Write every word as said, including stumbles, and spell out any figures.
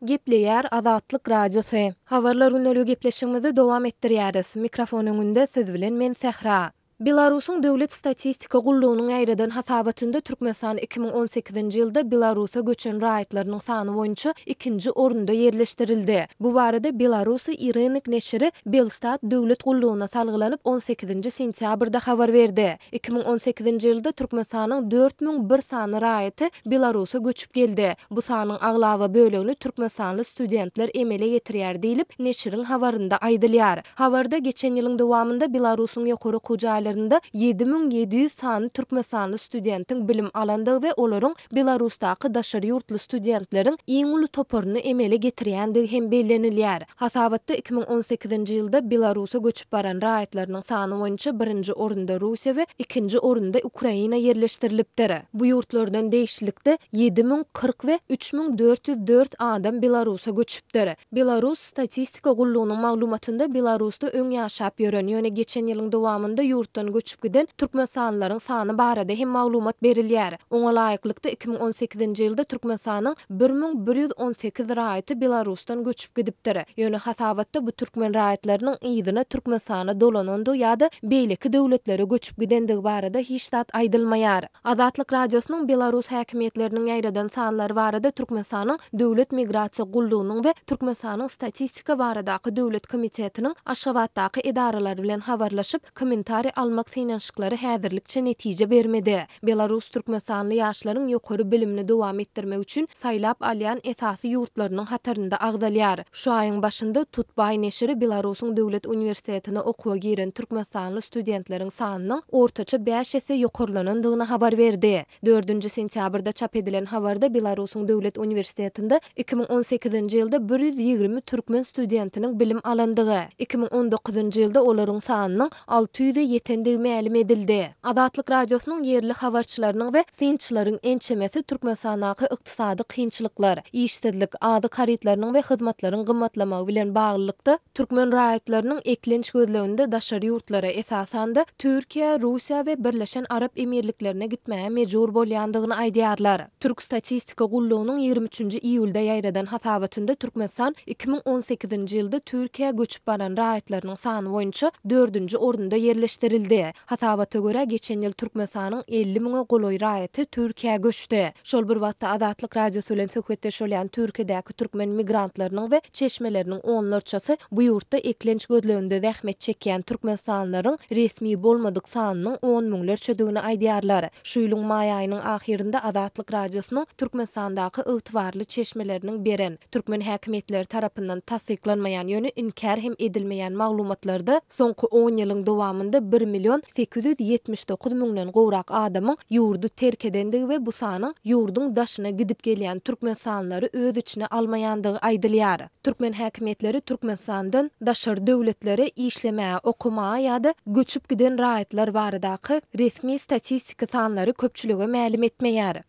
Gepleýär Azatlyk Radiosy. Habarlar gündeligi gepleşigimizi dowam etdirýäris. Mikrofon öňünde siz bilen men Sähra. Belarusyň Döwlet statistika gullugynyň ýaýradan hasabatynda Türkmenistan iki müň on sekizinji ýylda Belarusa göçen raýatlarynyň sany boýunça ikinji orunda ýerleşdirildi. Bu barada Belarusi i Rynek neşiri Belstat döwlet gullugyna salgylanyp on sekizinji sentýabrda habar berdi. Iki müň on sekizinji ýylda Türkmenistanyň dört müň bir sany raýaty Belarusa göçüp geldi. Bu sanyň aglaba bölegini türkmenistanly studentler emele getirýär diýlip, neşiriň habarynda aýdylýar. Habarda geçen ýylyň dowamynda Belarusyň ýokary okuw jaýlarynda ýedi müň ýedi ýüz sany türkmenistanly studentiň bilim alandygy we olaryň Belarusdaky daşary ýurtly studentleriň iň uly toparyny emele getirýändigi hem bellenilýär. Hasabatda iki müň on sekizinji ýylda Belarusa göçüp baran raýatlarynyň sany boýunça birinji orunda Russiýa we ikinji orunda Ukraina ýerleşdirilipdir. Bu ýurtlardan degişlilikde ýedi müň kyrk we üç müň dört ýüz dört adam Belarusa göçüpdir. Belarus statistika gullugynyň maglumatynda Belarusda öň ýaşap ýören, ýöne geçen ýylyň dowamynda ýurtdan göçüp giden türkmenistanlylaryň sany barada hem maglumat berilýär. Oňa laýyklykda iki müň on sekizinji ýylda Türkmenistanyň bir müň bir ýüz on sekiz raýaty Belarusdan göçüp gidipdir. Ýöne hasabatda bu türkmen raýatlarynyň yzyna Türkmenistana dolanandygy ýa-da beýleki döwletlere göçüp gidendigi barada hiç zat aýdylmaýar. Azatlyk Radiosynyň Belarus häkimiýetleriniň ýaýradan sanlary barada Türkmenistanyň Döwlet migrasiýa gullugynyň we Türkmenistanyň Statistika baradaky döwlet komitetiniň Aşgabatdaky edaralary bilen habarlaşyp, kommentariý almak synanyşyklary häzirlikçe netije bermedi. Belarus türkmenistanly ýaşlaryň ýokary bilimini dowam etdirmek üçin saýlap alýan esasy ýurtlarynyň hatarynda agzalýar. Şu aýyň başynda Tutbaý neşiri Belarusyň Döwlet uniwersitetine okuwa giren türkmenistanly studentleriň sanynyň ortaça bäş esse ýokarlanandygyny habar berdi. Dördünji sentýabrda çap edilen habarda Belarusyň Döwlet uniwersitetinde iki müň on sekizinji ýylda bir ýüz ýigrimi türkmen studentiniň bilim alandygy, iki müň on dokuzynjy ýylda olaryň sanynyň alty ýüze ýetendigi mälim edildi. Azatlyk Radiosynyň ýerli habarçylarynyň we synçylaryň ençemesi Türkmenistandaky ykdysady kynçylyklar, işsizlik, azyk harytlarynyň we hyzmatlaryň gymmatlamagy bilen baglylykda türkmen raýatlarynyň eklenç gözleginde daşary ýurtlara, esasan-da Türkiýä, Russiýa we Birleşen Arap Emirliklerine gitmäge mejbur bolýandygyny aýdýarlar. Türk statistika gullugynyň ýigrimi üçünji iýulda ýaýradan hasabatynda Türkmenistan iki müň on sekizinji ýylda Türkiýä göçüp baran raýatlarynyň sany boýunça dördünji orunda ýerleşdirildi. Hasabata görä, geçen ýyl Türkmenistanyň elli müňe golaý raýaty Türkiýä göçdi. Şol bir wagtda Azatlyk Radiosy bilen söhbetdeş bolýan Türkiýedäki türkmen migrantlarynyň we çeşmeleriniň onlarçasy bu ýurtda eklenç gözleginde zähmet çekýän türkmenistanlylaryň resmi bolmadyk sanynyň on müňlerçedigini aýdýarlar. Şu ýylyň maý aýynyň ahyrynda Azatlyk Radiosynyň Türkmenistandaky ygtybarly çeşmeleriniň beren, türkmen häkimiýetleri tarapyndan tassyklanmaýan, ýöne inkär hem edilmeýän maglumatlarda soňky on ýylyň dowamynda bir million sekiz ýüz ýetmiş dokuz müňden gowrak adamyň ýurdy terk edendigi we bu sanyň ýurduň daşyna gidip gelýän türkmenistanlylary öz içine almaýandygy aýdylýar. Türkmen häkimiýetleri Türkmenistandan daşary döwletlere işlemäge, okamaga ýa-da göçüp giden raýatlar baradaky resmi statistiki sanlary köpçülige mälim etmeýär.